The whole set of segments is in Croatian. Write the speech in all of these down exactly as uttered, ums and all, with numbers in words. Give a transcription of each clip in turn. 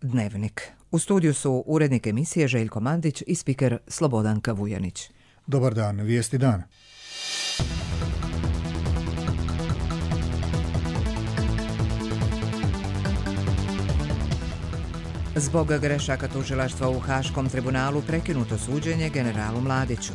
Dnevnik. U studiju su urednik emisije Željko Mandić i spiker Slobodanka Vujanić. Dobar dan, vijesti dana. Zbog grešaka tužilaštva u Haškom tribunalu prekinuto suđenje generalu Mladiću.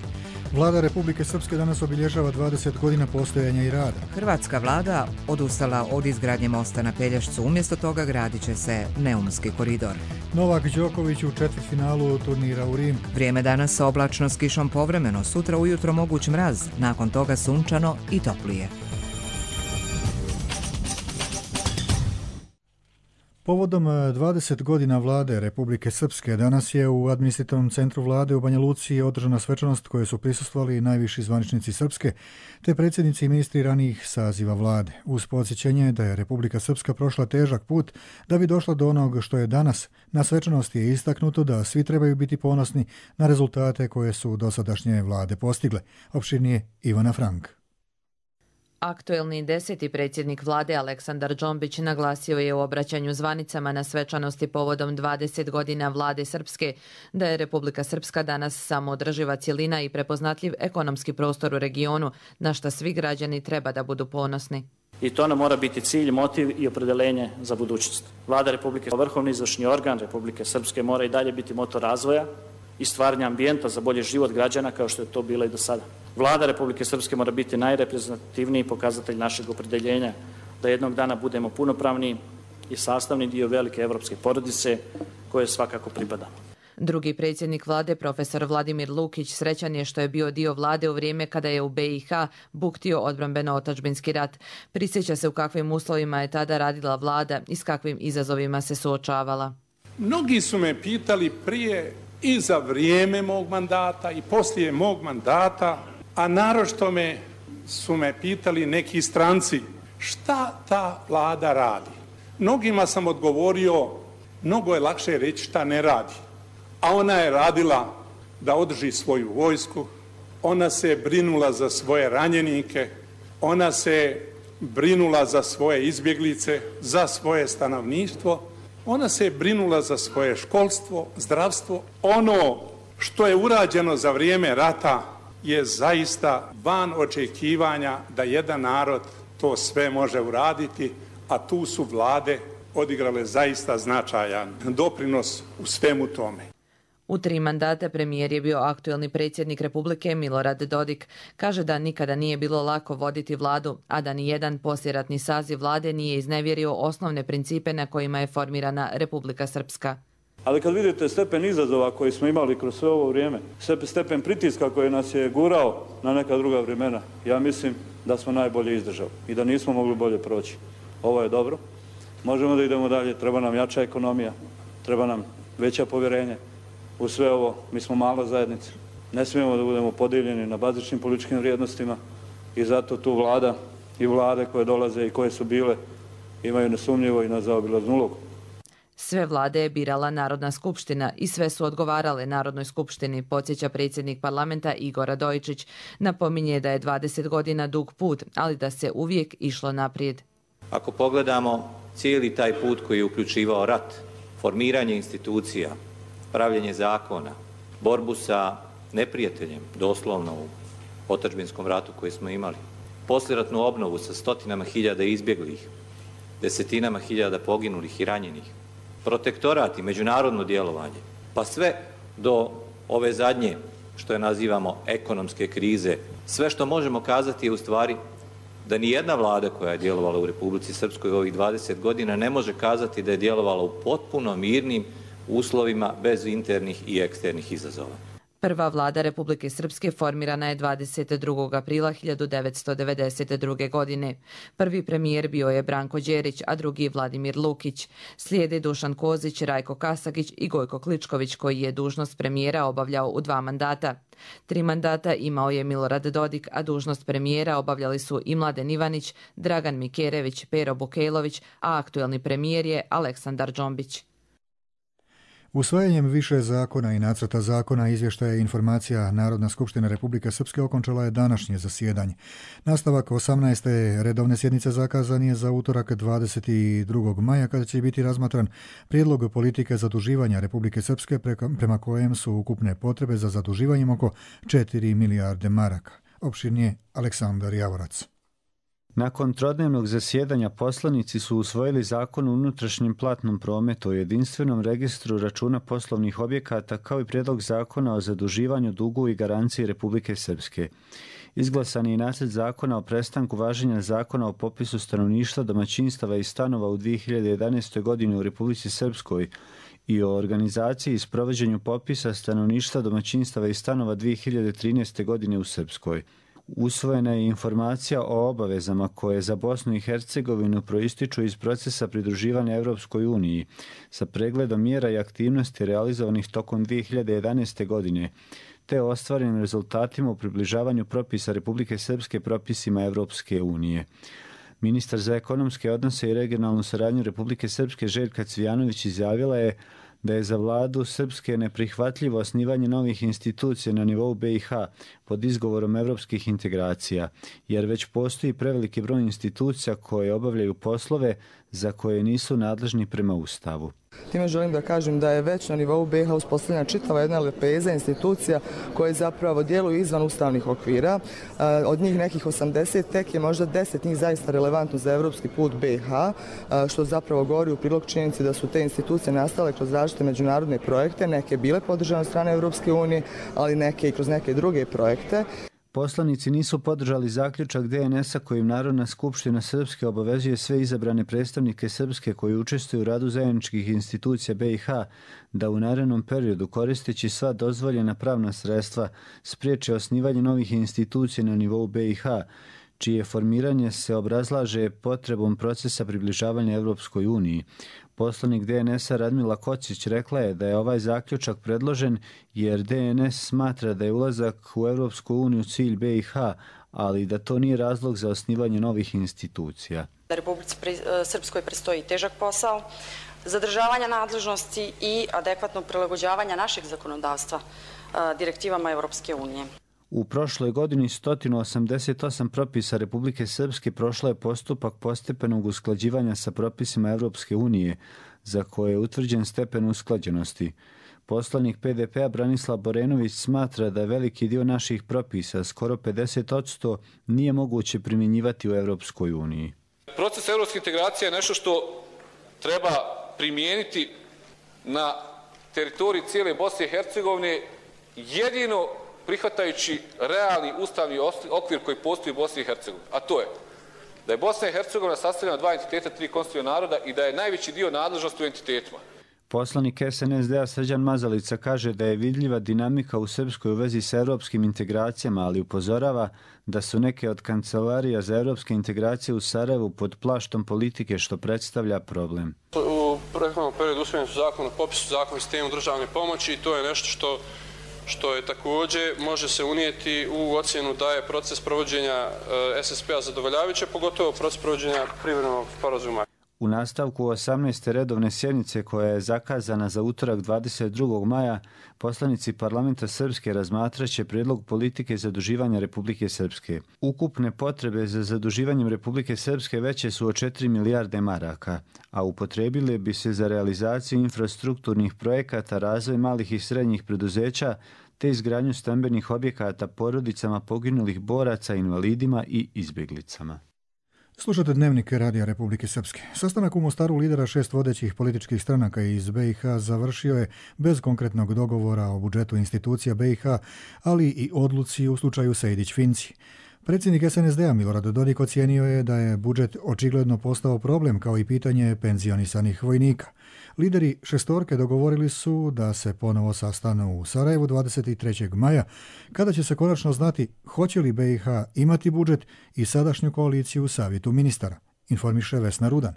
Vlada Republike Srpske danas obilježava dvadeset godina postojanja i rada. Hrvatska vlada odustala od izgradnje mosta na Pelješcu, umjesto toga gradit će se Neumski koridor. Novak Đoković u četvrtfinalu turnira u Rimu. Vrijeme danas oblačno s kišom povremeno, sutra ujutro moguć mraz, nakon toga sunčano i toplije. Povodom dvadeset godina vlade Republike Srpske danas je u administrativnom centru vlade u Banja Luci održana svečanost koje su prisustvovali najviši zvaničnici Srpske te predsjednici i ministri ranijih saziva vlade. Uz podsjećanje da je Republika Srpska prošla težak put da bi došla do onog što je danas, na svečanosti je istaknuto da svi trebaju biti ponosni na rezultate koje su dosadašnje vlade postigle. Opširnije Ivana Frank. Aktuelni deseti predsjednik vlade Aleksandar Džombić naglasio je u obraćanju zvanicama na svečanosti povodom dvadeset godina vlade Srpske da je Republika Srpska danas samoodrživa cjelina i prepoznatljiv ekonomski prostor u regionu, na što svi građani treba da budu ponosni. I to nam mora biti cilj, motiv i opredeljenje za budućnost. Vlada Republike, vrhovni izvršni organ Republike Srpske, mora i dalje biti motor razvoja i stvaranja ambijenta za bolji život građana kao što je to bilo i do sada. Vlada Republike Srpske mora biti najreprezentativniji pokazatelj našeg opredeljenja da jednog dana budemo punopravni i sastavni dio velike evropske porodice koje svakako pripadamo. Drugi predsjednik vlade, profesor Vladimir Lukić, srećan je što je bio dio vlade u vrijeme kada je u B i H buktio odbrambeno-otadžbinski rat. Prisjeća se u kakvim uslovima je tada radila vlada i s kakvim izazovima se suočavala. Mnogi su me pitali prije i za vrijeme mog mandata i poslije mog mandata, a naročito me su me pitali neki stranci šta ta vlada radi. Mnogima sam odgovorio, mnogo je lakše reći šta ne radi. A ona je radila da održi svoju vojsku, ona se brinula za svoje ranjenike, ona se brinula za svoje izbjeglice, za svoje stanovništvo, ona se brinula za svoje školstvo, zdravstvo. Ono što je urađeno za vrijeme rata je zaista van očekivanja da jedan narod to sve može uraditi, a tu su vlade odigrale zaista značajan doprinos u svemu tome. U tri mandata premijer je bio aktuelni predsjednik Republike Milorad Dodik. Kaže da nikada nije bilo lako voditi vladu, a da ni jedan poslijeratni saziv vlade nije iznevjerio osnovne principe na kojima je formirana Republika Srpska. Ali kad vidite stepen izazova koji smo imali kroz sve ovo vrijeme, stepen pritiska koji nas je gurao na neka druga vremena, ja mislim da smo najbolje izdržali i da nismo mogli bolje proći. Ovo je dobro. Možemo da idemo dalje, treba nam jača ekonomija, treba nam veće povjerenje. U sve ovo, mi smo mala zajednica. Ne smijemo da budemo podijeljeni na bazičnim političkim vrijednostima i zato tu vlada i vlade koje dolaze i koje su bile imaju nesumnjivo i nezaobilaznu ulogu. Sve vlade je birala Narodna skupština i sve su odgovarale Narodnoj skupštini, podsjeća predsjednik parlamenta Igor Radojičić. Napominje da je dvadeset godina dug put, ali da se uvijek išlo naprijed. Ako pogledamo cijeli taj put koji je uključivao rat, formiranje institucija, pravljenje zakona, borbu sa neprijateljem, doslovno u otadžbinskom ratu koji smo imali, poslijeratnu obnovu sa stotinama hiljada izbjeglih, desetinama hiljada poginulih i ranjenih, protektorat i međunarodno djelovanje, pa sve do ove zadnje, što je nazivamo ekonomske krize, sve što možemo kazati je u stvari da ni jedna vlada koja je djelovala u Republici Srpskoj u ovih dvadeset godina ne može kazati da je djelovala u potpuno mirnim uslovima bez internih i eksternih izazova. Prva vlada Republike Srpske formirana je dvadeset drugog aprila hiljadu devetsto devedeset druge. godine. Prvi premijer bio je Branko Đerić, a drugi Vladimir Lukić. Slijede Dušan Kozić, Rajko Kasagić i Gojko Kličković, koji je dužnost premijera obavljao u dva mandata. Tri mandata imao je Milorad Dodik, a dužnost premijera obavljali su i Mladen Ivanić, Dragan Mikerević, Pero Bukejlović, a aktuelni premijer je Aleksandar Džombić. Usvajanjem više zakona i nacrta zakona, izvještaja i informacija Narodna skupština Republike Srpske okončala je današnje zasjedanje. Nastavak osamnaeste redovne sjednice zakazan je za utorak dvadeset drugog maja kada će biti razmatran prijedlog politike zaduživanja Republike Srpske prema kojem su ukupne potrebe za zaduživanjem oko četiri milijarde maraka. Opširnije Aleksandar Javorac. Nakon trodnevnog zasjedanja poslanici su usvojili zakon o unutrašnjem platnom prometu, o jedinstvenom registru računa poslovnih objekata kao i prijedlog zakona o zaduživanju, dugu i garanciji Republike Srpske. Izglasan je i nacrt zakona o prestanku važenja zakona o popisu stanovništva, domaćinstava i stanova u dvije hiljade jedanaestoj. godini u Republici Srpskoj i o organizaciji i sprovođenju popisa stanovništva, domaćinstava i stanova dvije hiljade trinaeste. godine u Srpskoj. Usvojena je informacija o obavezama koje za Bosnu i Hercegovinu proističu iz procesa pridruživanja Evropskoj uniji sa pregledom mjera i aktivnosti realizovanih tokom dvije hiljade jedanaeste. godine, te ostvarenim rezultatima u približavanju propisa Republike Srpske propisima Evropske unije. Ministar za ekonomske odnose i regionalnu saradnju Republike Srpske Željka Cvijanović izjavila je da je za vladu Srpske neprihvatljivo osnivanje novih institucija na nivou B i H pod izgovorom evropskih integracija, jer već postoji preveliki broj institucija koje obavljaju poslove za koje nisu nadležni prema Ustavu. Time želim da kažem da je već na nivou B i H uspostavljena čitava jedna lepeza institucija koje zapravo djeluju izvan ustavnih okvira. Od njih nekih osamdeset, tek je možda deset njih zaista relevantno za evropski put B i H, što zapravo govori u prilog činjenici da su te institucije nastale kroz različite međunarodne projekte, neke bile podržane od strane Evropske unije, ali neke i kroz neke druge projekte. Poslanici nisu podržali zaključak D N S-a kojim Narodna skupština Srpske obavezuje sve izabrane predstavnike Srpske koji učestvuju u radu zajedničkih institucija B i H da u narednom periodu, koristeći sva dozvoljena pravna sredstva, spriječe osnivanje novih institucija na nivou B i H, čije formiranje se obrazlaže potrebom procesa približavanja Evropskoj uniji. Poslanik D N S-a Radmila Kocić rekla je da je ovaj zaključak predložen jer D N S smatra da je ulazak u Evropsku uniju cilj B i H, ali da to nije razlog za osnivanje novih institucija. Da Republici Srpskoj predstoji težak posao, zadržavanja nadležnosti i adekvatnog prilagođavanja našeg zakonodavstva direktivama Evropske unije. U prošloj godini sto osamdeset osam propisa Republike Srpske prošlo je postupak postepenog usklađivanja sa propisima Evropske unije, za koje je utvrđen stepen usklađenosti. Poslanik P D P-a Branislav Borenović smatra da veliki dio naših propisa, skoro pedeset posto, nije moguće primjenjivati u Evropskoj uniji. Proces evropske integracije je nešto što treba primijeniti na teritoriji cijele Bosne i Hercegovine jedino prihvatajući realni ustavni okvir koji postoji u Bosni i Hercegovini, a to je da je Bosna i Hercegovina sastavljena od dva entiteta, tri konstitutivna naroda i da je najveći dio nadležnosti u entitetima. Poslanik S N S D-a Srđan Mazalica kaže da je vidljiva dinamika u Srpskoj u vezi sa evropskim integracijama, ali upozorava da su neke od kancelarija za evropske integracije u Sarajevu pod plaštom politike, što predstavlja problem. U prethodnom periodu usvojeni su zakon o popisu, zakon o sistemu državne pomoći i to je nešto što što je također može se unijeti u ocjenu da je proces provođenja S S P-a zadovoljavajuće, pogotovo proces provođenja privremenog sporazuma. U nastavku osamnaeste redovne sjednice koja je zakazana za utorak dvadeset drugog maja, poslanici parlamenta Srpske razmatraće prijedlog politike zaduživanja Republike Srpske. Ukupne potrebe za zaduživanjem Republike Srpske veće su od četiri milijarde maraka, a upotrebile bi se za realizaciju infrastrukturnih projekata, razvoj malih i srednjih preduzeća, te izgradnju stambenih objekata porodicama poginulih boraca, invalidima i izbjeglicama. Slušate Dnevnik Radija Republike Srpske. Sastanak u Mostaru lidera šest vodećih političkih stranaka iz B i H završio je bez konkretnog dogovora o budžetu institucija B i H, ali i odluci u slučaju Sejdić-Finci. Predsjednik S N S D-a Milorad Dodik ocijenio je da je budžet očigledno postao problem kao i pitanje penzionisanih vojnika. Lideri šestorke dogovorili su da se ponovo sastanu u Sarajevu dvadeset trećeg maja, kada će se konačno znati hoće li B i H imati budžet i sadašnju koaliciju u Savjetu ministara, informiše Vesna Rudan.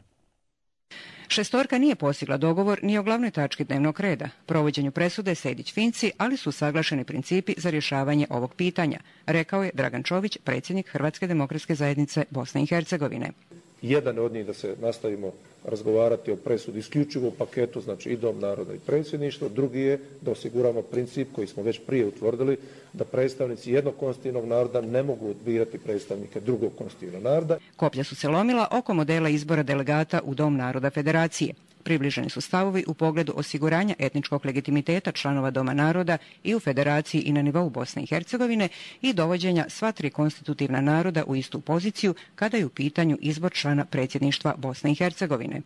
Šestorka nije postigla dogovor ni o glavnoj tački dnevnog reda, provođenju presude Sejdić-Finci, ali su saglašeni principi za rješavanje ovog pitanja, rekao je Dragan Čović, predsjednik Hrvatske demokratske zajednice Bosne i Hercegovine. Jedan od njih da se nastavimo razgovarati o presudi isključivo u paketu, znači i Dom naroda i predsjedništvo. Drugi je da osiguramo princip koji smo već prije utvrdili, da predstavnici jednog konstitutivnog naroda ne mogu birati predstavnike drugog konstitutivnog naroda. Koplja su se lomila oko modela izbora delegata u Dom naroda Federacije. Približeni su stavovi u pogledu osiguranja etničkog legitimiteta članova Doma naroda i u Federaciji i na nivou Bosne i Hercegovine i dovođenja sva tri konstitutivna naroda u istu poziciju kada je u pitanju izbor člana predsjedništva Bosne i Hercegovine.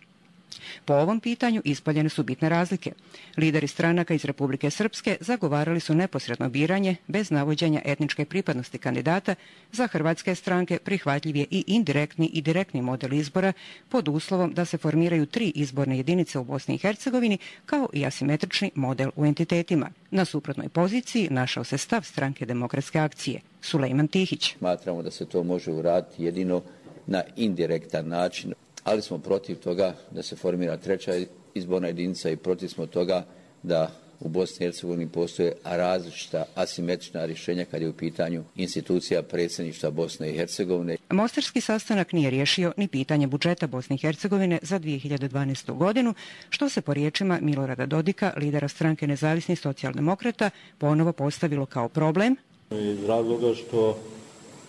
Po ovom pitanju ispoljene su bitne razlike. Lideri stranaka iz Republike Srpske zagovarali su neposredno biranje bez navođenja etničke pripadnosti kandidata. Za hrvatske stranke prihvatljiv je i indirektni i direktni model izbora pod uslovom da se formiraju tri izborne jedinice u Bosni i Hercegovini kao i asimetrični model u entitetima. Na suprotnoj poziciji našao se stav Stranke demokratske akcije. Sulejman Tihić. Smatramo da se to može uraditi jedino na indirektan način, ali smo protiv toga da se formira treća izborna jedinica i protiv smo toga da u Bosni i Hercegovini postoje različita asimetrična rješenja kad je u pitanju institucija predsjedništva Bosne i Hercegovine. Mostarski sastanak nije riješio ni pitanje budžeta Bosne i Hercegovine za dvije hiljade dvanaestu. godinu, što se po riječima Milorada Dodika, lidera stranke Nezavisnih socijaldemokrata, ponovo postavilo kao problem. Iz razloga što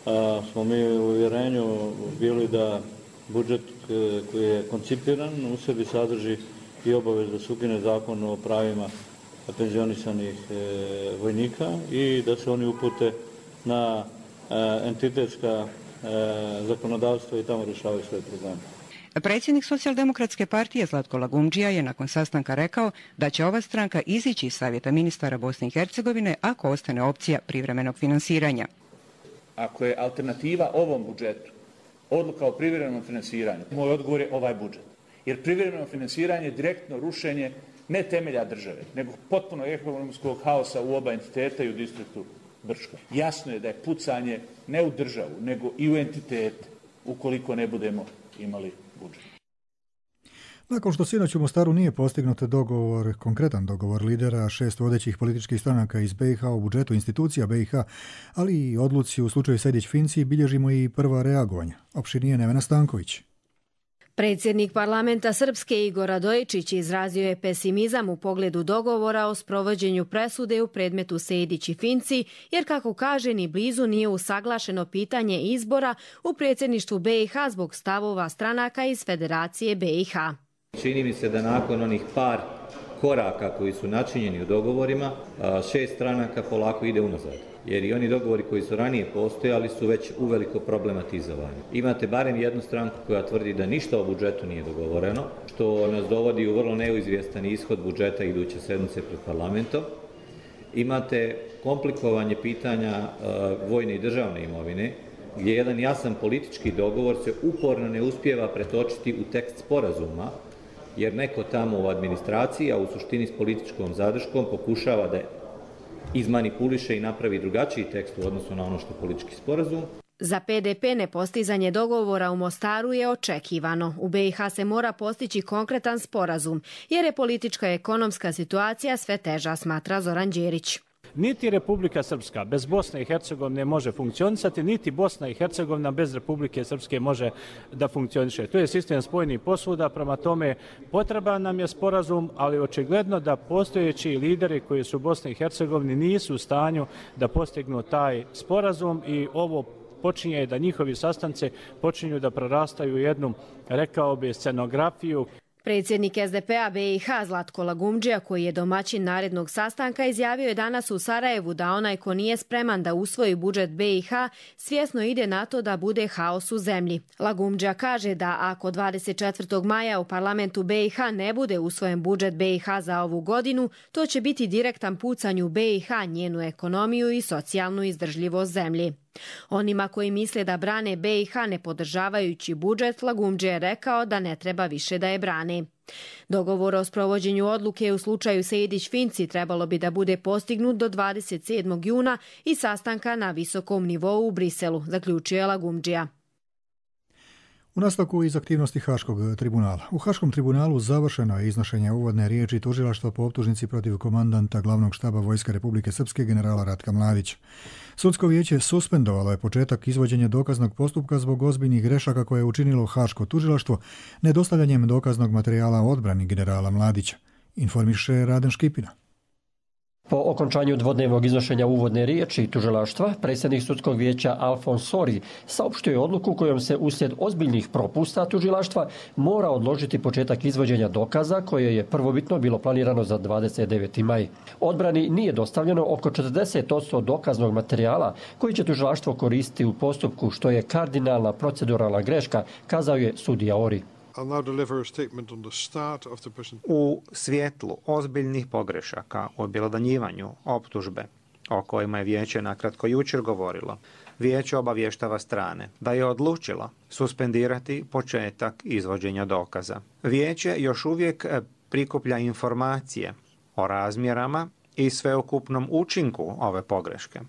a, smo mi u uvjerenju bili da budžet koji je koncipiran u sebi sadrži i obavez da se ukine zakon o pravima penzionisanih e, vojnika i da se oni upute na e, entitetska e, zakonodavstva i tamo rješavaju svoje probleme. Predsjednik Socijaldemokratske partije Zlatko Lagumdžija je nakon sastanka rekao da će ova stranka izići iz Savjeta ministara Bosne i Hercegovine ako ostane opcija privremenog finansiranja. Ako je alternativa ovom budžetu odluka o privremenom financiranju, moj odgovor je ovaj budžet. Jer privremeno finansiranje je direktno rušenje ne temelja države, nego potpuno ekonomskog haosa u oba entiteta i u distriktu Brčko. Jasno je da je pucanje ne u državu, nego i u entitete, ukoliko ne budemo imali budžet. Nakon što sinoć u Mostaru nije postignut dogovor, konkretan dogovor lidera šest vodećih političkih stranaka iz B i H o budžetu institucija B i H, ali i odluci u slučaju Sejdić-Finci, bilježimo i prva reagovanja. Opširnije Nevena Stanković. Predsjednik parlamenta Srpske Igor Radojičić izrazio je pesimizam u pogledu dogovora o sprovođenju presude u predmetu Sejdić i Finci, jer kako kaže ni blizu nije usaglašeno pitanje izbora u predsjedništvu B i H zbog stavova stranaka iz Federacije B i H. Čini mi se da nakon onih par koraka koji su načinjeni u dogovorima, šest stranaka polako ide unazad. Jer i oni dogovori koji su ranije postojali su već uveliko problematizovani. Imate barem jednu stranku koja tvrdi da ništa o budžetu nije dogovoreno, što nas dovodi u vrlo neizvjestan ishod budžeta iduće sedmice pred parlamentom. Imate komplikovanje pitanja uh, vojne i državne imovine, gdje jedan jasan politički dogovor se uporno ne uspijeva pretočiti u tekst sporazuma, jer neko tamo u administraciji, a u suštini s političkom zadrškom, pokušava da izmanipuliše i napravi drugačiji tekst u odnosu na ono što je politički sporazum. Za P D P nepostizanje dogovora u Mostaru je očekivano. U B i H se mora postići konkretan sporazum, jer je politička i ekonomska situacija sve teža, smatra Zoran Đerić. Niti Republika Srpska bez Bosne i Hercegovine može funkcionisati, niti Bosna i Hercegovina bez Republike Srpske može da funkcioniše. To je sistem spojenih posvuda, prema tome potreban nam je sporazum, ali očigledno da postojeći lideri koji su u Bosni i Hercegovini nisu u stanju da postignu taj sporazum i ovo počinje da njihovi sastanci počinju da prorastaju u jednu, rekao bi, scenografiju. Predsjednik S D P-a B i H Zlatko Lagumdžija, koji je domaćin narednog sastanka, izjavio je danas u Sarajevu da onaj ko nije spreman da usvoji budžet B i H svjesno ide na to da bude haos u zemlji. Lagumdžija kaže da ako dvadeset četvrtog maja u parlamentu B i H ne bude usvojen budžet B i H za ovu godinu, to će biti direktan pucanj u B i H, njenu ekonomiju i socijalnu izdržljivost zemlji. Onima koji misle da brane B i H ne podržavajući budžet, Lagumdžija je rekao da ne treba više da je brane. Dogovor o sprovođenju odluke u slučaju Sejdić-Finci trebalo bi da bude postignut do dvadeset sedmog juna i sastanka na visokom nivou u Briselu, zaključio je Lagumdžija. U nastavku iz aktivnosti Haškog tribunala. U Haškom tribunalu završeno je iznošenje uvodne riječi tužilaštva po optužnici protiv komandanta glavnog štaba Vojske Republike Srpske generala Ratka Mladića. Sudsko vijeće suspendovalo je početak izvođenja dokaznog postupka zbog ozbiljnih grešaka koje je učinilo Haško tužilaštvo nedostavljanjem dokaznog materijala o odbrani generala Mladića, informiše Raden Škipina. Po okončanju dvodnevnog iznošenja uvodne riječi tužilaštva, predsjednik sudskog vijeća Alfons Sori saopštio je odluku kojom se uslijed ozbiljnih propusta tužilaštva mora odložiti početak izvođenja dokaza koje je prvobitno bilo planirano za dvadeset deveti maj. Odbrani nije dostavljeno oko četrdeset posto dokaznog materijala koji će tužilaštvo koristiti u postupku, što je kardinalna proceduralna greška, kazao je sudija Ori. U svjetlu ozbiljnih pogrešaka u objelodanjivanju optužbe o kojima je vijeće nakratko jučer govorilo, vijeće obavještava strane da je odlučilo suspendirati početak izvođenja dokaza. Vijeće još uvijek prikuplja informacije o razmjerama i sveukupnom učinku ove pogreške.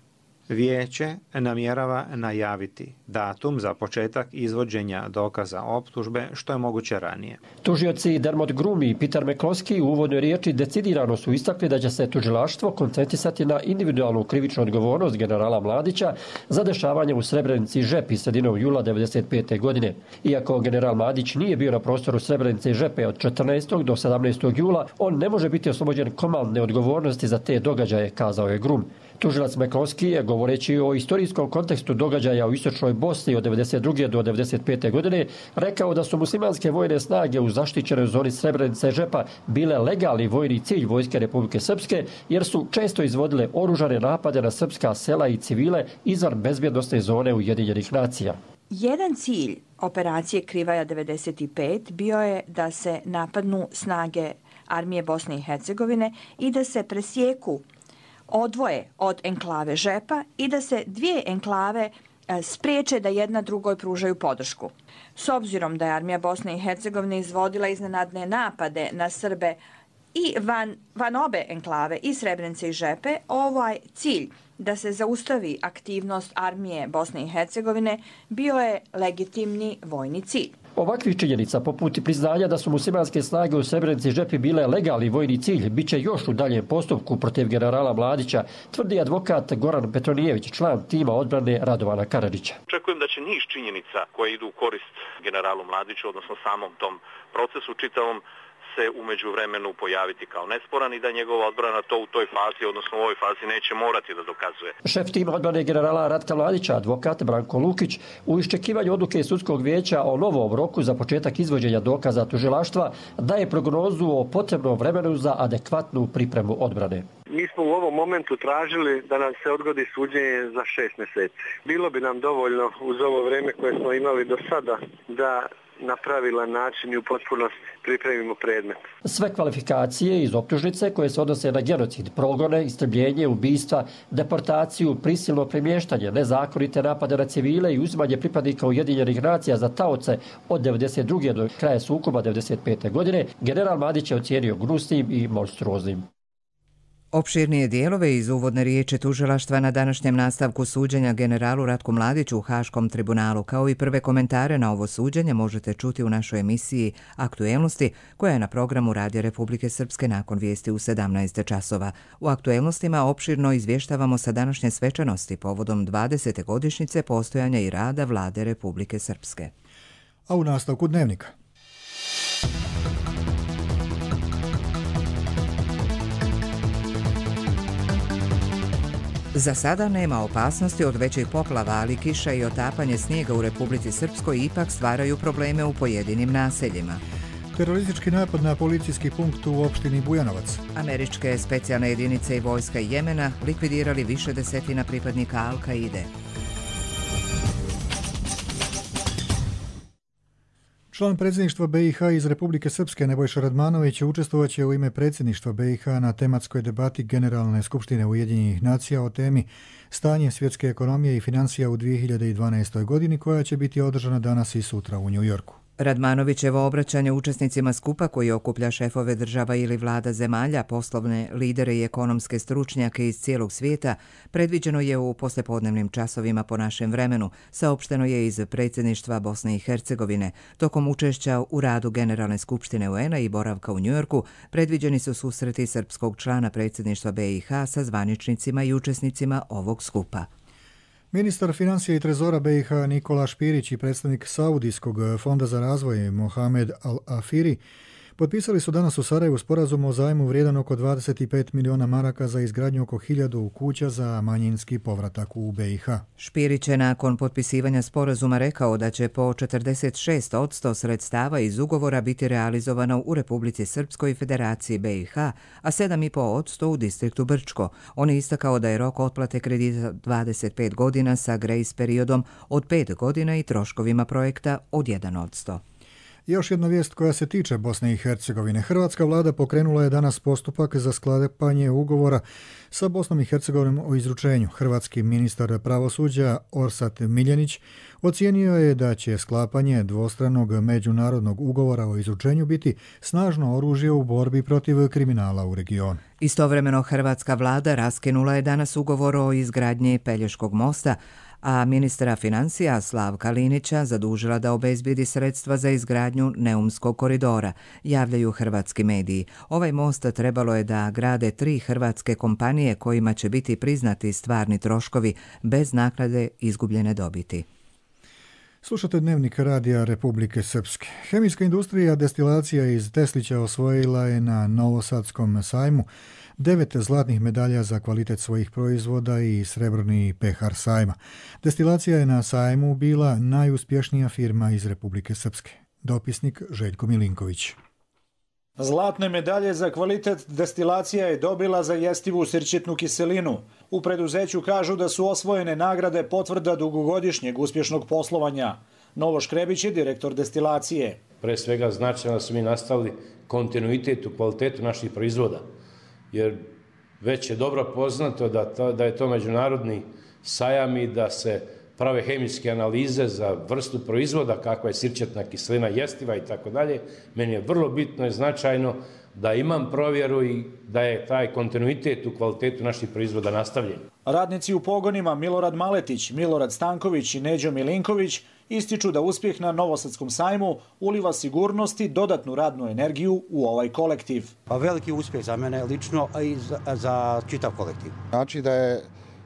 Vijeće namjerava najaviti datum za početak izvođenja dokaza optužbe što je moguće ranije. Tužioci Dermot Grumi i Peter McCloskey u uvodnoj riječi decidirano su istakli da će se tužilaštvo koncentrisati na individualnu krivičnu odgovornost generala Mladića za dešavanje u Srebrenici i Žepi sredinom jula devedeset pete. godine. Iako general Mladić nije bio na prostoru Srebrenice i Žepe od četrnaestog do sedamnaestog jula, on ne može biti oslobođen komandne odgovornosti za te događaje, kazao je Grum. Tužilac McCloskey je, govoreći o istorijskom kontekstu događaja u istočnoj Bosni od devedeset druge do devedeset pete. godine, rekao da su muslimanske vojne snage u zaštićenoj zoni Srebrenice i Žepa bile legalni vojni cilj Vojske Republike Srpske, jer su često izvodile oružane napade na srpska sela i civile izvan bezbjednosne zone Ujedinjenih nacija. Jedan cilj operacije Krivaja devedeset pet bio je da se napadnu snage armije Bosne i Hercegovine i da se presjeku odvoje od enklave Žepa i da se dvije enklave spriječe da jedna drugoj pružaju podršku. S obzirom da je armija Bosne i Hercegovine izvodila iznenadne napade na Srbe i van, van obe enklave, i Srebrenice i Žepe, ovaj cilj da se zaustavi aktivnost armije Bosne i Hercegovine bio je legitimni vojni cilj. Ovakvih činjenica, poput priznanja da su muslimanske snage u Srebrenici i Žepi bile legalni vojni cilj, bit će još u daljem postupku protiv generala Mladića, tvrdi advokat Goran Petronijević, član tima odbrane Radovana Karadžića. Očekujem da će niz činjenica koje idu u korist generalu Mladiću, odnosno samom tom procesu čitavom, se u međuvremenu pojaviti kao nesporan i da njegova odbrana to u toj fazi, odnosno u ovoj fazi, neće morati da dokazuje. Šef tima odbrane generala Ratka Mladića, advokat Branko Lukić, u iščekivanju odluke sudskog vijeća o novom roku za početak izvođenja dokaza tužilaštva daje prognozu o potrebnom vremenu za adekvatnu pripremu odbrane. Mi smo u ovom momentu tražili da nam se odgodi suđenje za šest mjeseci. Bilo bi nam dovoljno uz ovo vrijeme koje smo imali do sada da na pravilan način i u potpunosti pripremimo predmet. Sve kvalifikacije iz optužnice koje se odnose na genocid, progone, istrebljenje, ubistva, deportaciju, prisilno premještanje, nezakonite napade na civile i uzimanje pripadnika Ujedinjenih nacija za taoce od devedeset druge do kraja sukoba devedeset pete. godine, general Mladić je ocijenio gnusnim i monstruoznim. Opširnije dijelove iz uvodne riječi tužilaštva na današnjem nastavku suđenja generalu Ratku Mladiću u Haškom tribunalu, kao i prve komentare na ovo suđenje, možete čuti u našoj emisiji Aktuelnosti, koja je na programu Radija Republike Srpske nakon vijesti u sedamnaest časova. U Aktuelnostima opširno izvještavamo sa današnje svečanosti povodom dvadesete godišnjice postojanja i rada Vlade Republike Srpske. A u nastavku dnevnika. Za sada nema opasnosti od većih poplava, ali kiša i otapanje snijega u Republici Srpskoj ipak stvaraju probleme u pojedinim naseljima. Teroristički napad na policijski punkt u opštini Bujanovac. Američke specijalne jedinice i vojska Jemena likvidirali više desetina pripadnika Al-Kaide. Član predsjedništva B i H iz Republike Srpske Nebojša Radmanović učestvovaće u ime predsjedništva B i H na tematskoj debati Generalne skupštine Ujedinjenih nacija o temi Stanje svjetske ekonomije i financija u dvije hiljade dvanaestoj. godini, koja će biti održana danas i sutra u New Yorku. Radmanovićevo obraćanje učesnicima skupa koji okuplja šefove država ili vlada zemalja, poslovne lidere i ekonomske stručnjake iz cijelog svijeta predviđeno je u poslijepodnevnim časovima po našem vremenu, saopšteno je iz predsjedništva Bosne i Hercegovine. Tokom učešća u radu Generalne skupštine U N A i boravka u Njujorku predviđeni su susreti srpskog člana predsjedništva B i H sa zvaničnicima i učesnicima ovog skupa. Ministar financija i trezora B i H Nikola Špirić i predstavnik Saudijskog fonda za razvoj Mohamed Al-Afiri potpisali su danas u Sarajevu sporazum o zajmu vrijedan oko dvadeset pet miliona maraka za izgradnju oko hiljadu kuća za manjinski povratak u B i H. Špirić je nakon potpisivanja sporazuma rekao da će po četrdeset šest posto sredstava iz ugovora biti realizovano u Republici Srpskoj i Federaciji B i H, a sedam i po posto u distriktu Brčko. On je istakao da je rok otplate kredita dvadeset pet godina sa grejs periodom od pet godina i troškovima projekta od jedan posto. Još jedna vijest koja se tiče Bosne i Hercegovine. Hrvatska vlada pokrenula je danas postupak za sklapanje ugovora sa Bosnom i Hercegovinom o izručenju. Hrvatski ministar pravosuđa Orsat Miljenić ocijenio je da će sklapanje dvostranog međunarodnog ugovora o izručenju biti snažno oružje u borbi protiv kriminala u regionu. Istovremeno hrvatska vlada raskinula je danas ugovor o izgradnji Pelješkog mosta, a ministra financija Slavka Linića zadužila da obezbijedi sredstva za izgradnju Neumskog koridora, javljaju hrvatski mediji. Ovaj most trebalo je da grade tri hrvatske kompanije kojima će biti priznati stvarni troškovi bez naknade izgubljene dobiti. Slušate Dnevnik radija Republike Srpske. Hemijska industrija destilacija iz Teslića osvojila je na Novosadskom sajmu devet zlatnih medalja za kvalitet svojih proizvoda i srebrni pehar sajma. Destilacija je na sajmu bila najuspješnija firma iz Republike Srpske. Dopisnik Željko Milinković. Zlatne medalje za kvalitet destilacija je dobila za jestivu sirćetnu kiselinu. U preduzeću kažu da su osvojene nagrade potvrda dugogodišnjeg uspješnog poslovanja. Novo Škrebić je direktor destilacije. Pre svega značajno da su mi nastavili kontinuitet u kvalitetu naših proizvoda, jer već je dobro poznato da, to, da je to međunarodni sajam i da se prave hemijske analize za vrstu proizvoda, kakva je sirćetna kiselina, jestiva i tako dalje. Meni je vrlo bitno i značajno da imam provjeru i da je taj kontinuitet u kvalitetu naših proizvoda nastavljen. Radnici u pogonima Milorad Maletić, Milorad Stanković i Neđo Milinković ističu da uspjeh na Novosadskom sajmu uliva sigurnost i dodatnu radnu energiju u ovaj kolektiv. Pa veliki uspjeh za mene lično, a i za, za čitav kolektiv. Znači da je,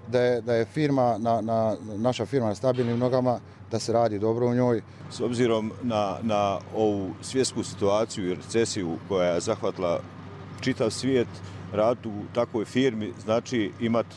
da je, da je firma, na, na, naša firma na stabilnim nogama, da se radi dobro u njoj. S obzirom na, na ovu svjetsku situaciju i recesiju koja je zahvatila čitav svijet, rad u takvoj firmi znači imati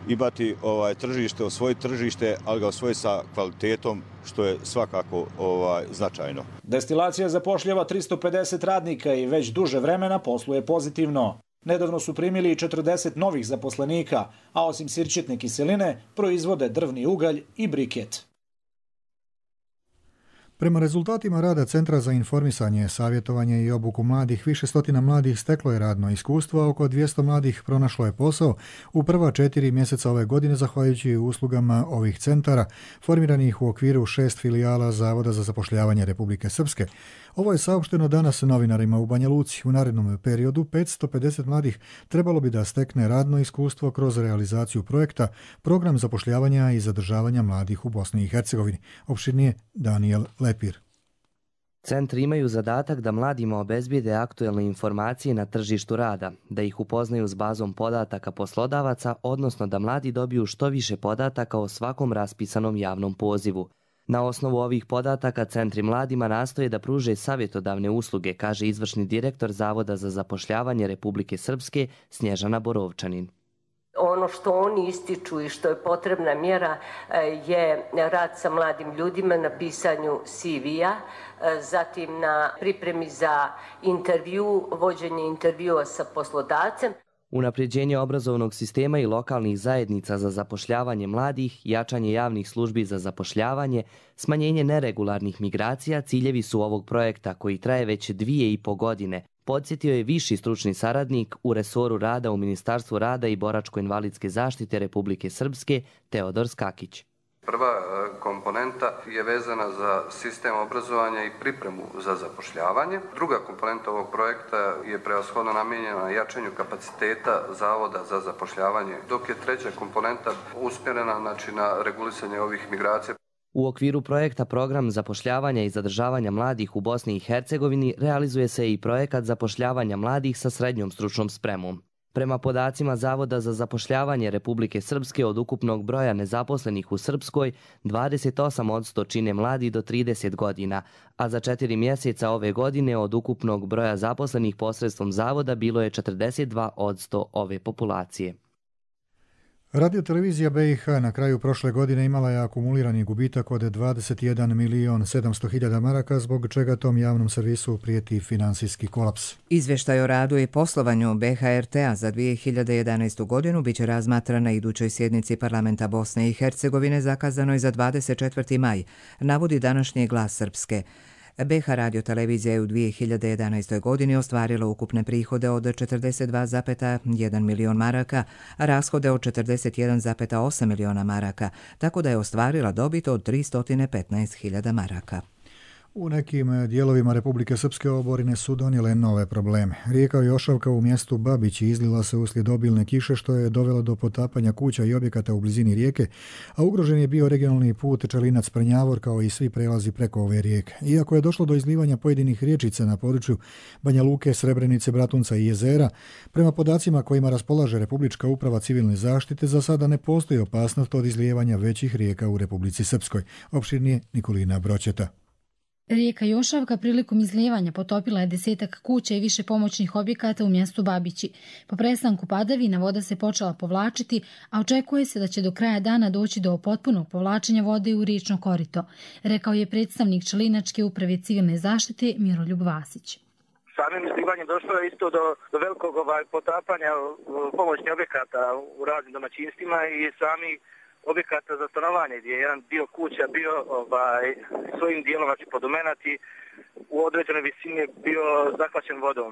imati ovaj tržište, osvojiti tržište, ali ga osvojiti sa kvalitetom, što je svakako ovaj značajno. Destilacija zapošljava tristo pedeset radnika i već duže vremena posluje pozitivno. Nedavno su primili četrdeset novih zaposlenika, a osim sirćetne kiseline proizvode drvni ugalj i briket. Prema rezultatima rada Centra za informisanje, savjetovanje i obuku mladih, više stotina mladih steklo je radno iskustvo, a oko dvjesto mladih pronašlo je posao u prva četiri mjeseca ove godine zahvaljujući uslugama ovih centara, formiranih u okviru šest filijala Zavoda za zapošljavanje Republike Srpske. Ovo je saopšteno danas novinarima u Banja Luci. U narednom periodu petsto pedeset mladih trebalo bi da stekne radno iskustvo kroz realizaciju projekta Program zapošljavanja i zadržavanja mladih u Bosni i Hercegovini. Opširnije Daniel Lepir. Centri imaju zadatak da mladima obezbijede aktuelne informacije na tržištu rada, da ih upoznaju s bazom podataka poslodavaca, odnosno da mladi dobiju što više podataka o svakom raspisanom javnom pozivu. Na osnovu ovih podataka centri mladima nastoje da pruže savjetodavne usluge, kaže izvršni direktor Zavoda za zapošljavanje Republike Srpske Snježana Borovčanin. Ono što oni ističu i što je potrebna mjera je rad sa mladim ljudima na pisanju C V-a, zatim na pripremi za intervju, vođenje intervjua sa poslodavcem. Unapređenje obrazovnog sistema i lokalnih zajednica za zapošljavanje mladih, jačanje javnih službi za zapošljavanje, smanjenje neregularnih migracija ciljevi su ovog projekta koji traje već dvije i po godine, podsjetio je viši stručni saradnik u resoru rada u Ministarstvu rada i boračko-invalidske zaštite Republike Srpske Teodor Skakić. Prva komponenta je vezana za sistem obrazovanja i pripremu za zapošljavanje. Druga komponenta ovog projekta je prevashodno namijenjena jačanju kapaciteta Zavoda za zapošljavanje, dok je treća komponenta usmjerena znači, na regulisanje ovih migracija. U okviru projekta Program zapošljavanja i zadržavanja mladih u Bosni i Hercegovini realizuje se i projekat zapošljavanja mladih sa srednjom stručnom spremom. Prema podacima Zavoda za zapošljavanje Republike Srpske od ukupnog broja nezaposlenih u Srpskoj, dvadeset osam posto čine mladi do trideset godina, a za četiri mjeseca ove godine od ukupnog broja zaposlenih posredstvom Zavoda bilo je četrdeset dva posto ove populacije. Radiotelevizija B i H na kraju prošle godine imala je akumulirani gubitak od dvadeset jedan milion sedamsto hiljada maraka, zbog čega tom javnom servisu prijeti finansijski kolaps. Izvještaj o radu i poslovanju B H R T-a za dvije hiljade jedanaestu. godinu biće razmatran na idućoj sjednici Parlamenta Bosne i Hercegovine zakazanoj za dvadeset četvrti maj, navodi današnji Glas Srpske. B H radiotelevizija je u dvije hiljade jedanaestoj. godini ostvarila ukupne prihode od četrdeset dva zarez jedan milion maraka, a rashode od četrdeset jedan zarez osam miliona maraka, tako da je ostvarila dobit od tristo petnaest hiljada maraka. U nekim dijelovima Republike Srpske oborine su donijele nove probleme. Rijeka Jošavka u mjestu Babići izlila se uslijed obilne kiše, što je dovelo do potapanja kuća i objekata u blizini rijeke, a ugrožen je bio regionalni put Čelinac-Prnjavor kao i svi prelazi preko ove rijeke. Iako je došlo do izlivanja pojedinih riječica na području Banja Luke, Srebrenice, Bratunca i Jezera, prema podacima kojima raspolaže Republička uprava civilne zaštite, za sada ne postoji opasnost od izlijevanja većih rijeka u Republici Srpskoj. Opširnije Nikolina Broćeta. Rijeka Jošavka prilikom izlijevanja potopila je desetak kuća i više pomoćnih objekata u mjestu Babići. Po prestanku padavina voda se počela povlačiti, a očekuje se da će do kraja dana doći do potpunog povlačenja vode u riječno korito, rekao je predstavnik Čelinačke uprave civilne zaštite Miroljub Vasić. Samim izlivanjem došlo je isto do, do velikog ovaj, potapanja pomoćnih objekata u raznim domaćinstvima i sami objekata za stanovanje, gdje je jedan dio kuća bio ovaj, svojim dijelom znači, podomenat i u određenoj visini bio zahvaćen vodom.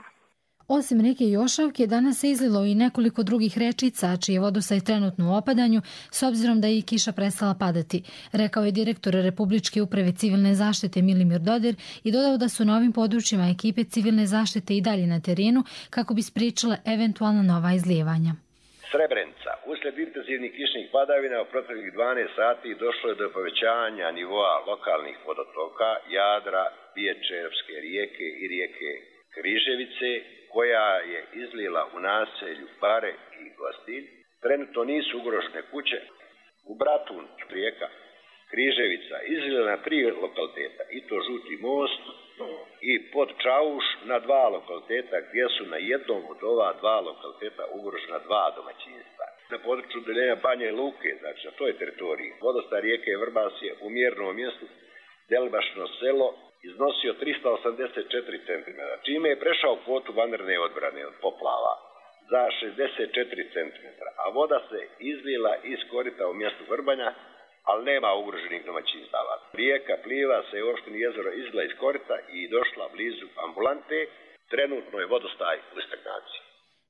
Osim rijeke Jošavke, danas se izlilo i nekoliko drugih rečica, čiji je vodostaj trenutno u opadanju, s obzirom da je i kiša prestala padati, rekao je direktor Republičke uprave civilne zaštite Milimir Dodir i dodao da su na ovim područjima ekipe civilne zaštite i dalje na terenu kako bi spriječile eventualna nova izlijevanja. Srebrenica. Uslijed intenzivnih kišnih padavina u proteklih dvanaest sati došlo je do povećanja nivoa lokalnih vodotoka Jadra, Biječevske rijeke i rijeke Križevice, koja je izlila u naselju Bare i Gostilj. Trenutno nisu ugrožene kuće. U Bratun rijeka Križevica izlila na tri lokaliteta, i to Žuti most i pod Čauš na dva lokaliteta, gdje su na jednom od ova dva lokaliteta ugrožena dva domaćinstva. Na području deljenja Banje Luke, znači na toj teritoriji, vodostaj rijeke Vrbas je u mjernom mjestu Delbašno selo iznosio trista osamdeset četiri centimetra, čime je prešao kvotu vanredne odbrane od poplava za šezdeset četiri centimetra, a voda se izlila iz korita u mjestu Vrbanja, ali nema ugroženih domaćinstava. Rijeka Pliva se u opštini Jezero izlila iz korita i došla blizu ambulante. Trenutno je vodostaj u stagnaciji.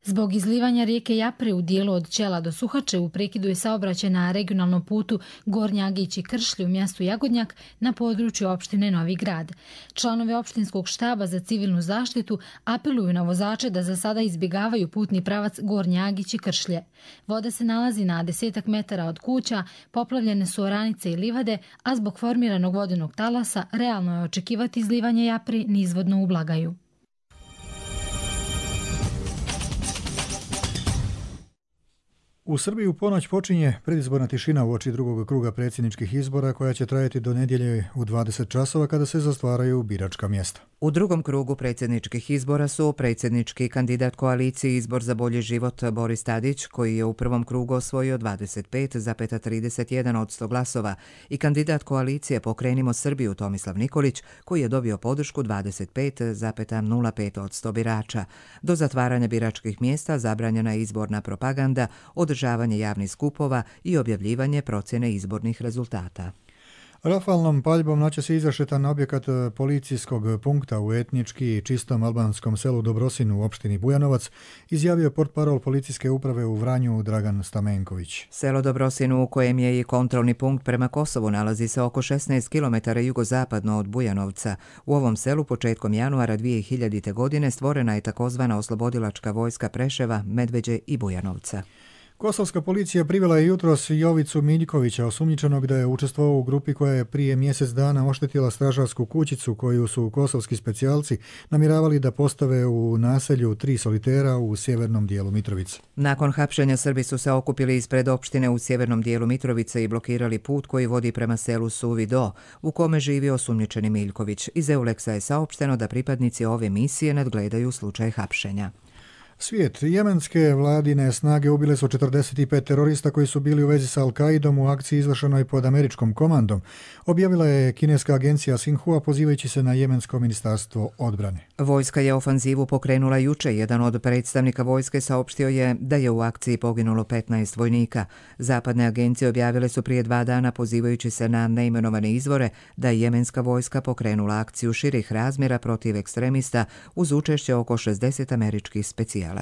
Zbog izlivanja rijeke Japre u dijelu od Čela do Suhače u prekidu je saobraćaj na regionalnom putu Gornji Agić i Kršlji u mjestu Jagodnjak na području opštine Novi Grad. Članovi opštinskog štaba za civilnu zaštitu apeluju na vozače da za sada izbjegavaju putni pravac Gornji Agić i Kršlje. Voda se nalazi na desetak metara od kuća, poplavljene su oranice i livade, a zbog formiranog vodenog talasa realno je očekivati izlivanje Japre nizvodno u Blagaju. U Srbiji u ponoć počinje predizborna tišina uoči drugog kruga predsjedničkih izbora koja će trajati do nedjelje u dvadeset časova kada se zatvaraju biračka mjesta. U drugom krugu predsjedničkih izbora su predsjednički kandidat koalicije Izbor za bolji život Boris Tadić, koji je u prvom krugu osvojio dvadeset pet zarez trideset jedan posto glasova, i kandidat koalicije Pokrenimo Srbiju Tomislav Nikolić, koji je dobio podršku dvadeset pet zarez nula pet posto birača. Do zatvaranja biračkih mjesta zabranjena je izborna propaganda, održavanje javnih skupova i objavljivanje procjene izbornih rezultata. Rafalnom paljbom noćas je izrašetan objekat policijskog punkta u etnički čistom albanskom selu Dobrosinu u opštini Bujanovac, izjavio portparol policijske uprave u Vranju Dragan Stamenković. Selo Dobrosinu, u kojem je i kontrolni punkt prema Kosovu, nalazi se oko šesnaest kilometara jugozapadno od Bujanovca. U ovom selu početkom januara dvije hiljadite. godine stvorena je takozvana oslobodilačka vojska Preševa, Medveđe i Bujanovca. Kosovska policija privela je jutros Jovicu Miljkovića, osumnjičenog da je učestvovao u grupi koja je prije mjesec dana oštetila stražarsku kućicu koju su kosovski specijalci namjeravali da postave u naselju Tri solitera u sjevernom dijelu Mitrovice. Nakon hapšenja Srbi su se okupili ispred opštine u sjevernom dijelu Mitrovice i blokirali put koji vodi prema selu Suvi Do, u kome živi osumnjičeni Miljković. Iz Euleksa je saopšteno da pripadnici ove misije nadgledaju slučaj hapšenja. Svijet. Jemenske vladine snage ubile su četrdeset pet terorista koji su bili u vezi sa Al-Qaidom u akciji izvršenoj pod američkom komandom, objavila je kineska agencija Xinhua pozivajući se na jemensko ministarstvo odbrane. Vojska je ofanzivu pokrenula juče. Jedan od predstavnika vojske saopštio je da je u akciji poginulo petnaest vojnika. Zapadne agencije objavile su prije dva dana pozivajući se na neimenovane izvore da je jemenska vojska pokrenula akciju širih razmjera protiv ekstremista uz učešće oko šezdeset američkih specijalaca.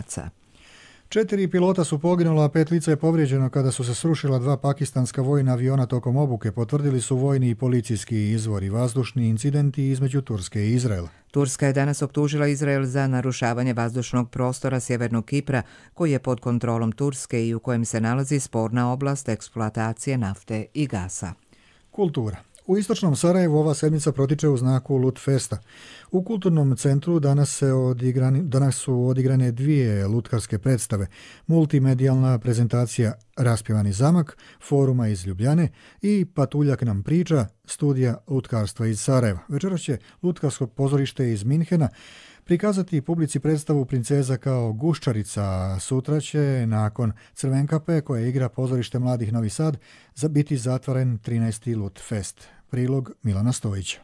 Četiri pilota su poginula, a pet lica je povrijeđeno kada su se srušila dva pakistanska vojna aviona tokom obuke, potvrdili su vojni i policijski izvori. Vazdušni incidenti između Turske i Izraela. Turska je danas optužila Izrael za narušavanje vazdušnog prostora sjevernog Kipra, koji je pod kontrolom Turske i u kojem se nalazi sporna oblast eksploatacije nafte i gasa. Kultura. U istočnom Sarajevu ova sedmica protiče u znaku Lutfesta. U kulturnom centru danas, se odigrani, danas su odigrane dvije lutkarske predstave, multimedijalna prezentacija Raspjevani zamak, foruma iz Ljubljane i Patuljak nam priča, studija lutkarstva iz Sarajeva. Večeras će lutkarsko pozorište iz Minhena prikazati publici predstavu Princeza kao guščarica. Sutra će, nakon Crvenkape, koja igra pozorište Mladih Novi Sad, biti zatvoren trinaesti Lutfest. Prilog Milana Stojića.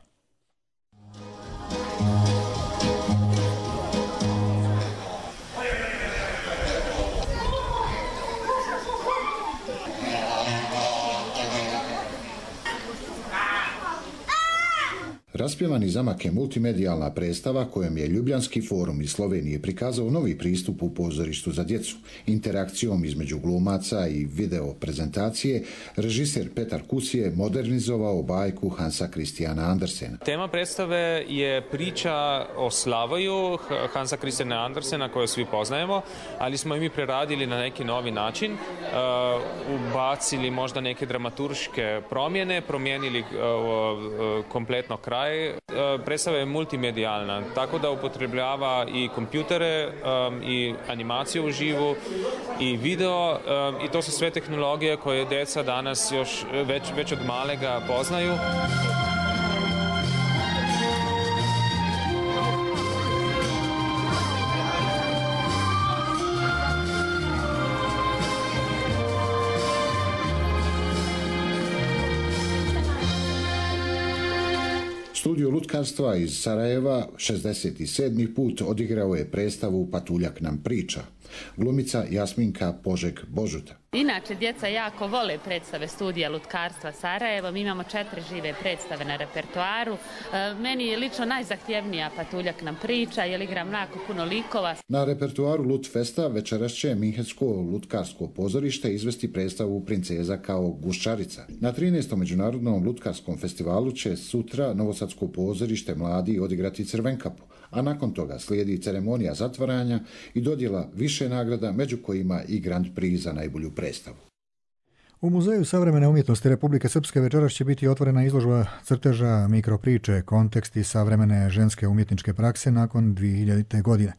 Raspjevani zamak je multimedijalna predstava kojom je Ljubljanski forum iz Slovenije prikazao novi pristup u pozorištu za djecu. Interakcijom između glumaca i video prezentacije, režiser Petar Kus je modernizovao bajku Hansa Christiana Andersena. Tema predstave je priča o Slavoju Hansa Christiana Andersena koju svi poznajemo, ali smo i mi preradili na neki novi način, uh, ubacili možda neke dramaturške promjene, promijenili uh, uh, kompletno kraj. Predstava je multimedijalna, tako da upotrebljava i kompjutere um, i animaciju u živu i video um, i to su sve tehnologije koje djeca danas još već, već od malega poznaju. Studio lutkarstva iz Sarajeva šezdeset sedmi put odigrao je predstavu Patuljak nam priča. Glumica Jasminka Požeg Božuta. Inače, djeca jako vole predstave studija lutkarstva Sarajevo. Mi imamo četiri žive predstave na repertoaru. E, meni je lično najzahtjevnija Patuljak nam priča, jer igram jako puno likova. Na repertoaru Lutfesta večeras će Minhensko lutkarsko pozorište izvesti predstavu Princeza kao guščarica. Na trinaestom međunarodnom lutkarskom festivalu će sutra Novosadsko pozorište Mladi odigrati Crvenkapu, a nakon toga slijedi ceremonija zatvaranja i dodjela više nagrada, među kojima i Grand Prix za najbolju predstavu. U Muzeju savremene umjetnosti Republike Srpske večeras će biti otvorena izložba crteža mikropriče, konteksti savremene ženske umjetničke prakse nakon dvije hiljadite. godine.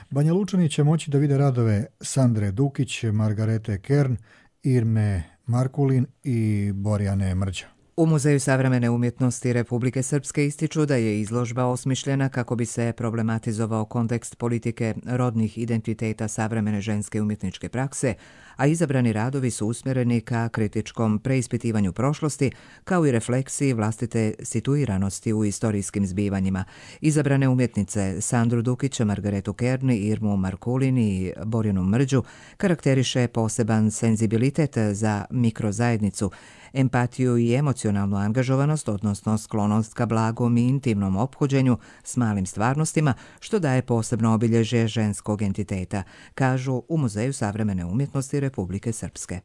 Banja Lučani će moći da vide radove Sandre Dukić, Margarete Kern, Irme Markulin i Borjane Mrđa. U Muzeju savremene umjetnosti Republike Srpske ističu da je izložba osmišljena kako bi se problematizovao kontekst politike rodnih identiteta savremene ženske umjetničke prakse, a izabrani radovi su usmjereni ka kritičkom preispitivanju prošlosti, kao i refleksiji vlastite situiranosti u istorijskim zbivanjima. Izabrane umjetnice Sandru Dukić, Margaretu Kerni, Irmu Markulin i Borjanu Mrđu karakteriše poseban senzibilitet za mikrozajednicu, empatiju i emocionalnost emocionalnu angažovanost, odnosno sklonost ka blagom i intimnom ophođenju s malim stvarnostima, što daje posebno obilježje ženskog entiteta, kažu u Muzeju savremene umjetnosti Republike Srpske.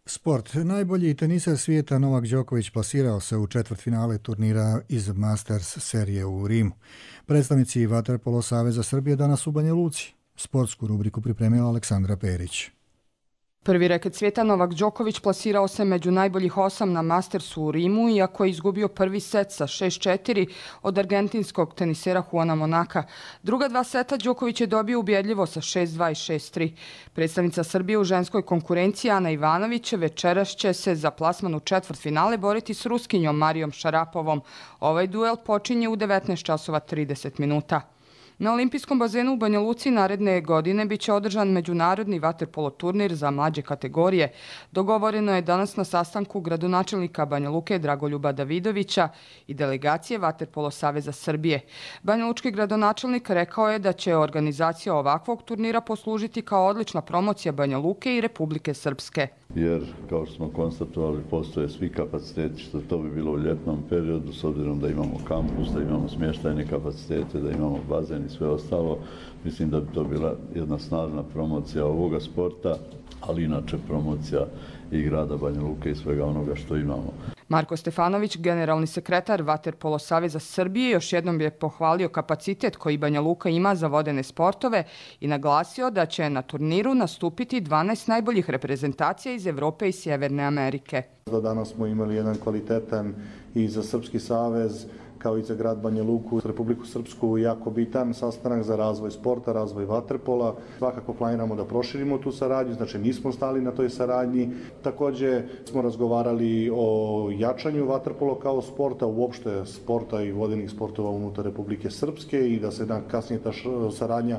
Sport. Najbolji teniser svijeta Novak Đoković plasirao se u četvrtfinale turnira iz Masters serije u Rimu. Predstavnici Vaterpolo Saveza Srbije danas u Banja Luci. Sportsku rubriku pripremila Aleksandra Perić. Prvi reket svijeta Novak Đoković plasirao se među najboljih osam na Mastersu u Rimu, iako je izgubio prvi set sa šest četiri od argentinskog tenisera Juana Monaka. Druga dva seta Đoković je dobio ubjedljivo sa šest dva i šest tri. Predstavnica Srbije u ženskoj konkurenciji Ana Ivanović večeras će se za plasman u četvrtfinale boriti s Ruskinjom Marijom Šarapovom. Ovaj duel počinje u devetnaest časova trideset minuta. Na olimpijskom bazenu u Banja Luci naredne godine biće održan međunarodni vaterpolo turnir za mlađe kategorije. Dogovoreno je danas na sastanku gradonačelnika Banja Luke Dragoljuba Davidovića i delegacije Vaterpolo Saveza Srbije. Banja Lučki gradonačelnik rekao je da će organizacija ovakvog turnira poslužiti kao odlična promocija Banja Luke i Republike Srpske. Jer, kao što smo konstatovali, postoje svi kapaciteti, što to bi bilo u ljetnom periodu, s obzirom da imamo kampus, da imamo smještajne kapacitete, da imamo bazen i sve ostalo. Mislim da bi to bila jedna snažna promocija ovoga sporta, ali inače promocija i grada Banja Luke i svega onoga što imamo. Marko Stefanović, generalni sekretar Vaterpolo Saveza Srbije, još jednom je pohvalio kapacitet koji Banja Luka ima za vodene sportove i naglasio da će na turniru nastupiti dvanaest najboljih reprezentacija iz Evrope i Sjeverne Amerike. Danas smo imali jedan kvalitetan i za Srpski savez, kao i za grad Banja Luku, Republiku Srpsku, jako bitan sastanak za razvoj sporta, razvoj vaterpola. Svakako planiramo da proširimo tu saradnju, znači nismo stali na toj saradnji. Također smo razgovarali o jačanju vaterpola kao sporta, uopšte sporta i vodenih sportova unutar Republike Srpske i da se dan kasnije ta saradnja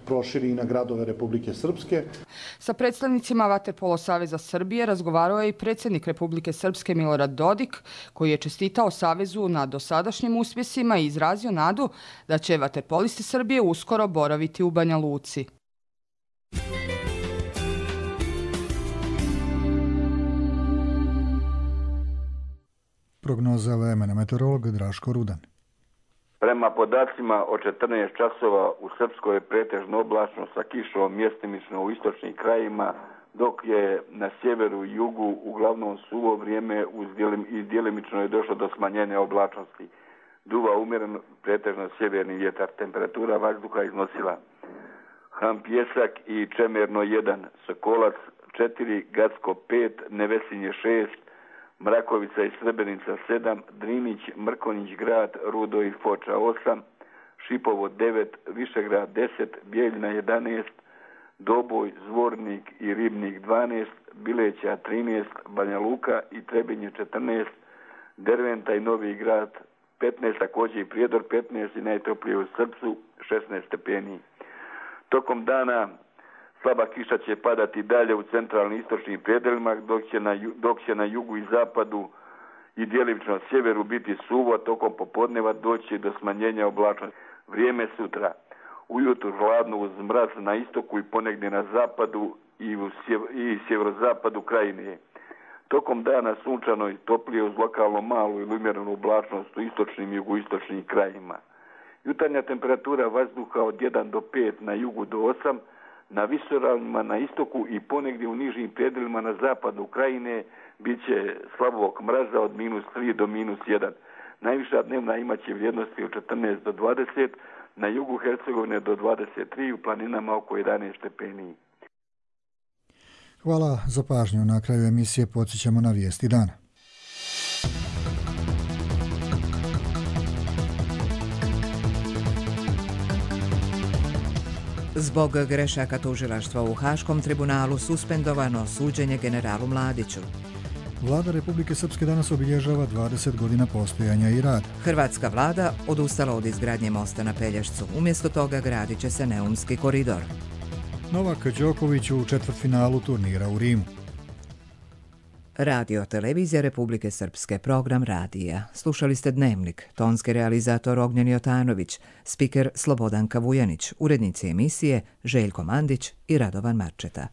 proširi i na gradove Republike Srpske. Sa predstavnicima Vaterpolo Saveza Srbije razgovarao je i predsjednik Republike Srpske Milorad Dodik, koji je čestitao Savezu na dosadašnjim uspjesima i izrazio nadu da će vaterpolisti Srbije uskoro boraviti u Banja Luci. Prognoza vremena, meteorolog Draško Rudan. Prema podacima od četrnaest časova u Srpskoj je pretežno oblačno sa kišom mjestimično u istočnim krajima, dok je na sjeveru i jugu uglavnom suvo vrijeme i djelimično je došlo do smanjenja oblačnosti. Duva umjeren pretežno sjeverni vjetar. Temperatura vazduha iznosila Ham Pjesak i Čemerno jedan, Sokolac četiri, Gacko pet, Nevesinje šest, Mrakovica i Srebrenica sedam, Drinić, Mrkonjić grad, Rudo i Foča osam, Šipovo devet, Višegrad deset, Bijeljina jedanaest, Doboj, Zvornik i Ribnik dvanaest, Bileća trinaest, Banja Luka i Trebinje četrnaest, Derventa i Novi grad petnaest, također i Prijedor petnaest i najtoplije u Srpcu šesnaest stepeni. Tokom dana slaba kiša će padati dalje u centralnim istočnim predelima, dok će na, dok će na jugu i zapadu i djelimično sjeveru biti suvo, a tokom popodneva doći do smanjenja oblačnosti. Vrijeme sutra. Ujutro hladno uz mraz na istoku i ponegdje na zapadu i, u sjev, i sjeverozapadu krajine. Tokom dana sunčano i toplije uz lokalno malu ili umjerenu oblačnost u istočnim i jugoistočnim krajima. Jutarnja temperatura vazduha od jedan do pet, na jugu do osam, na visoravnima na istoku i ponegdje u nižim predelima na zapadu Ukrajine bit će slabog mraza od minus tri do minus jedan. Najviša dnevna imaće vrijednosti od četrnaest do dvadeset, na jugu Hercegovine do dvadeset tri, u planinama oko jedanaest stepeni. Hvala za pažnju. Na kraju emisije podsjećamo na vijesti dana. Zbog grešaka tužilaštva u Haškom tribunalu suspendovano suđenje generalu Mladiću. Vlada Republike Srpske danas obilježava dvadeset godina postojanja i rada. Hrvatska vlada odustala od izgradnje mosta na Pelješcu. Umjesto toga gradit će se Neumski koridor. Novak Đoković u četvrtfinalu turnira u Rimu. Radio Televizija Republike Srpske, program radija. Slušali ste Dnevnik, tonski realizator Ognjen Jotanović, spiker Slobodanka Vujanić, urednici emisije Željko Mandić i Radovan Marčeta.